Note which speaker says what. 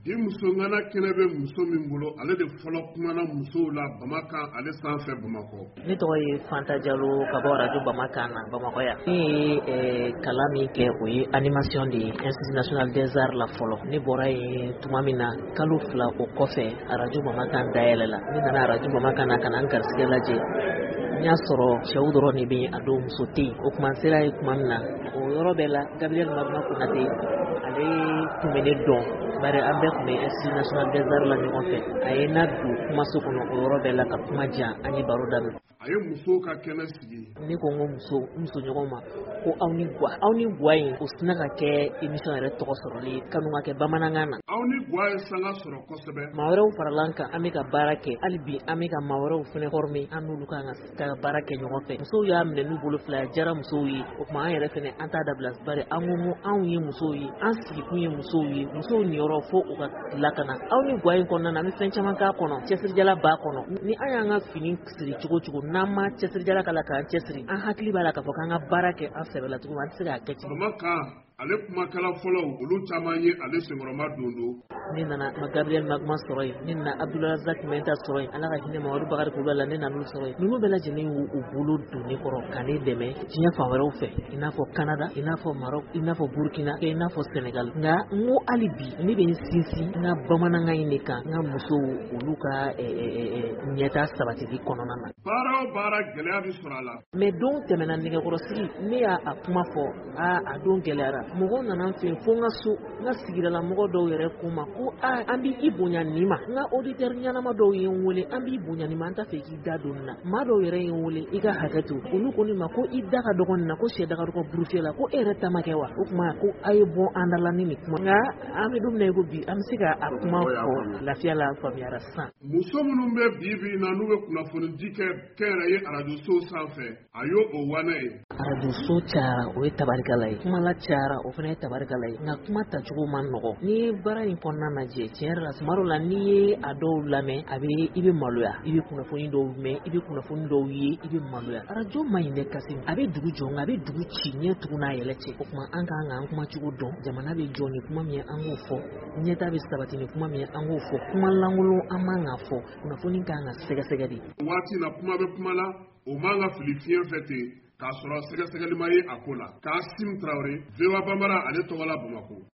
Speaker 1: Bi muso ŋana kɛnɛ bɛ muso min bolo, ale de fɔlɔ kumana musow la Bamakan ale sanfɛ Bamakɔ.
Speaker 2: Ne tɔgɔ ye Fanta Jalo, ka bɔ Radio Bamakan na Bamakɔ yan. Ne ye kalan min kɛ, o ye animation de ye Institut national des arts la fɔlɔ. Ne bɔra yen tuma min na, kalo 2 o kɔfɛ, Radio Bamakan dayɛlɛ la. Ne nana Radio Bamakan na ka na n garisɛgɛ lajɛ. N y'a sɔrɔ cɛw dɔrɔn de bɛ yen a don, muso tɛ yen. O tuma n sera yen tuma min na, o yɔrɔ bɛɛ la, Gabriel Magma Konate, ale tun bɛ ne dɔn, bari an bɛɛ tun bɛ Institut national des arts la ɲɔgɔn fɛ. A ye n nadon kumaso kɔnɔ o yɔrɔ bɛɛ la ka kuma diyan, an ye baro daminɛ.
Speaker 1: A ye musow ka kɛnɛ sigi.
Speaker 2: Ne ko n ko muso, n muso ɲɔgɔn ma ko aw ni gwa, aw ni gwa in, o sina ka kɛ émission yɛrɛ tɔgɔ sɔrɔli ye, kanu ka kɛ bamanankan na.
Speaker 1: Aw ni gwa ye sanga sɔrɔ kosɛbɛ.
Speaker 2: Maa wɛrɛw farala an kan, an bɛ ka baara kɛ hali bi, an bɛ ka maa wɛrɛw fɛnɛ former, an n'olu kan ka baara kɛ ɲɔgɔn fɛ. Musow y'a minɛ n'u bolo fila ye, diyara musow ye. O tuma an yɛrɛ fɛnɛ, an t'a dabila, bari an ko ko anw ye musow ye, an sigikun ye musow ye, musow niyɔrɔ fo u ka lakana. Aw ni gwa in kɔnɔna na, an bɛ fɛn caman k'a kɔnɔ, cɛsirijala b'a kɔnɔ. Ni an y'an ka fini siri cogo cogo, n'an ma cɛsirijala k'a la k'an cɛsiri, an hakili b'a la k'a fɔ k'an ka baara kɛ an sɛbɛ la cogo min, an tɛ se k'a kɛ ten.
Speaker 1: Bamakan ale kumakɛla fɔlɔw, olu caman ye ale senkɔrɔma don don.
Speaker 2: Ne nana ma Gabriel Magma sɔrɔ yen, ne nana Abdulrazak Menta sɔrɔ yen, Ala ka hinɛ Mamadu Bakari Kulubali la, ne nan'u sɔrɔ yen. Ninnu bɛɛ lajɛlen y'u u bolo don ne kɔrɔ ka ne dɛmɛ diɲɛ fan wɛrɛw fɛ, i n'a fɔ Canada, i n'a fɔ Maroc, i n'a fɔ Burkina, i n'a fɔ Sénégal. Nka n ko hali bi ne bɛ n sinsin n ka bamanankan in de kan, n ka musow olu ka ɲɛta sabatili kɔnɔna na.
Speaker 1: Baara o baara, gɛlɛya bɛ sɔrɔ a la.
Speaker 2: Mais don tɛmɛna, nɛgɛkɔrɔsigi, ne y'a a kuma fɔ, aa, a don gɛlɛyara. Mɔgɔw nana n fɛ yen fo n ka so, n ka sigidala mɔgɔ dɔw yɛrɛ ko n ma ko aa, an b'i bonya nin ma. N ka auditeur ɲɛnama dɔw ye n wele, an b'i bonya nin ma, an t'a fɛ k'i da don nin na. Maa dɔw yɛrɛ ye n wele, i ka hakɛ to, olu ko ne ma ko i da ka dɔgɔ nin na, ko sɛ da ka dɔgɔ burufiyɛ la, ko e yɛrɛ ta ma kɛ wa? O tuma ko a ye bɔ an da la ni nin kuma. Nka an bɛ don min na i ko bi, an bɛ se ka a kuma fɔ lafiya la, faamuyara sisan.
Speaker 1: Muso minnu bɛ bi bi in na, n'u bɛ kunnafoni di kɛ kɛnyɛrɛye arajosow sanfɛ, a y'o o wanɛ ye.
Speaker 2: Arajoso cayara, o ye tabarikala ye. Kumala cayara, o fana ye tabarikala ye, nka kuma tacogo ma nɔgɔ. N'i ye baara in kɔnɔna lajɛ, tiɲɛ yɛrɛ la, tuma dɔw la, n'i ye a dɔw lamɛn, a bɛ i bɛ maloya. I bɛ kunnafoni dɔw mɛn, i bɛ kunnafoni dɔw ye, i bɛ maloya. Arajo man ɲi dɛ Kasim, a bɛ dugu jɔ, nka a bɛ dugu ci ɲɛ tugun n'a yɛlɛ cɛ. O tuma an kan k'an kumacogo dɔn. Jamana bɛ jɔ ni kuma min ye, an k'o fɔ. Ɲɛta bɛ sabati ni kuma min ye, an k'o fɔ. Kuma lankolon an man k'a fɔ. Kunnafoni kan ka sɛgɛsɛgɛ de.
Speaker 1: Waati na, kuma bɛ kuma la, o man ka fili fiɲɛ fɛ ten k'a sɔrɔ sɛgɛsɛgɛli ma ye a ko la. Kasim Tarawele, VOA Bambara ale tɔgɔ la Bamakɔ.